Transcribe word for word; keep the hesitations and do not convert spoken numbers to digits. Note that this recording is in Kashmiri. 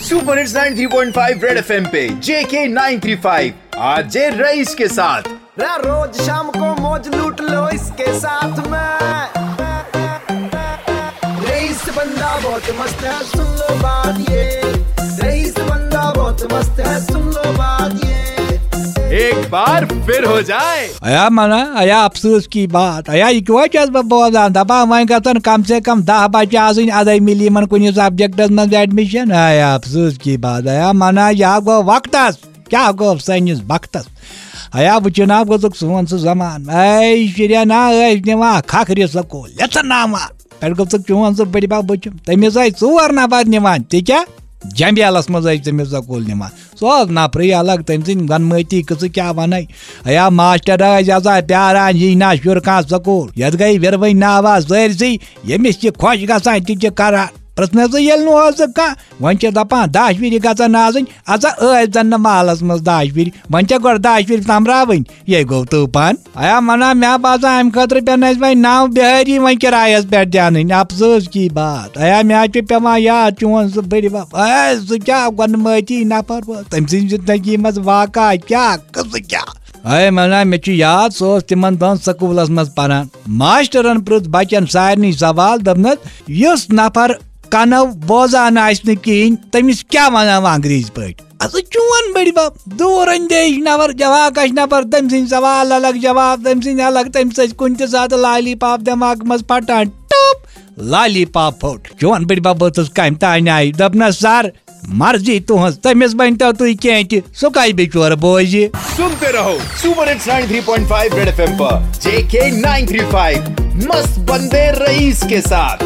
Super hits ninety three point five Red FM पे JK nine three five, RJ Raees के साथ। रा-, रोज शाम को मौज लूट लो इसके साथ में। रईस बंदा बहुत मस्त है, सुन लो बात ये। रईस बंदा बहुत मस्त है, सुन लो बात ये। एक बार फिर हो जाए। ایا منا، ایا افسوس کی بات، ایا یہ کیوں چھس بہ بوزان؟ دپان وۄنۍ گژھن کم سے کم دہ بچہ آسٕنۍ ادے ملی یمن کُنہِ سبجیکٹس منٛز ایڈمِشن۔ ایا افسوس کی بات، ایا منا، یا گوٚو وقتس، کیٛاہ گوٚو سٲنِس وقتس؟ ایا وٕچھِو نا، گوٚژھُکھ سون سُہ زمان۔ اے شُرٮ۪ن نا ٲسۍ نِوان کھکھرِ سکوٗل، لیژٕناوان۔ پٮ۪ٹھ گوٚژھُکھ چون سُہ بٔڈِ بب وٕچھُن۔ تٔمِس ٲسۍ ژور نفر نِوان، تہِ کیٛاہ؟ جمبیلس منٛز ٲسۍ تٔمِس سکوٗل نِوان۔ سُہ اوس نفرٕے الگ، تٔمۍ سٕنٛدۍ گۄنمٲتی قٕصہٕ کیٛاہ وَنَے۔ ہیا ماسٹر ٲسۍ آسان پیاران، یی نا شُر کانٛہہ سکوٗل۔ یَتھ گٔے وِروٕنۍ ناوا سٲرسٕے، ییٚمِس تہِ خۄش گژھان، تہِ چھِ کران۔ پرٛژھنَسٕے ییٚلہِ نہٕ اوسُکھ کانٛہہ، وۄنۍ چھِ دَپان دَچھ وِرِ گژھن آسٕنۍ۔ اَژا ٲسۍ زَن نہٕ محلَس منٛز دَچھ وِرِ، وۄنۍ چھےٚ گۄڈٕ دَچھ وِرِ سۄمبراوٕنۍ۔ یے گوٚو طوٗفان۔ ایا منا، مےٚ باسان، اَمہِ خٲطرٕ پٮ۪ن اَسہِ وۄنۍ نَو بِہٲری وۄنۍ کِرایَس پٮ۪ٹھ دیٛانٕنۍ۔ افسوس کی بات۔ ایا مےٚ چھُ پٮ۪وان یاد چون سُہ بٔڈِ بب۔ اے، سُہ کیٛاہ گۄنمٲتی نفر اوس؟ تٔمۍ سٕنٛزِ زندگی منٛز واقعہ کیٛاہ، قٕصہٕ کیٛاہ؟ اے منا، مےٚ چھُ یاد، سُہ اوس تِمن دۄہن سکوٗلس منٛز پران۔ ماسٹرن پرٛژھ بچن سارنٕے سوال، دوٚپنس، یُس نفر کنو بوزان آسہِ نہٕ کِہینۍ، تٔمِس کیٛاہ ونان وۄنۍ انگریزی پٲٹھۍ؟ اَسا چون بٔڈِ بب، دوٗر اندیش نفر، جواکش نفر، تٔمۍ سٕنٛدۍ سوال الگ، جواب تٔمۍ سٕنٛدۍ الگ، تٔمِس ٲسۍ کُنہِ تہِ ساتہٕ لالی پاپ دٮ۪ماغہٕ منٛز پھٹان، ٹوٚپ، لالی پاپ پھوٚٹ۔ چون بٔڈِ بب ٲسٕس کامہِ تانۍ آیہِ، دوٚپنس، "سر، مرضی تُہنٛز، تٔمِس ؤنۍتو تُہۍ کینٛہہ تہِ، سُہ کتہِ بِچور بوزِ؟" सुनते रहो super hits ninety three point five Red FM पर जेके नाइन थ्री फ़ाइव, मस्त बंदे रईस के साथ।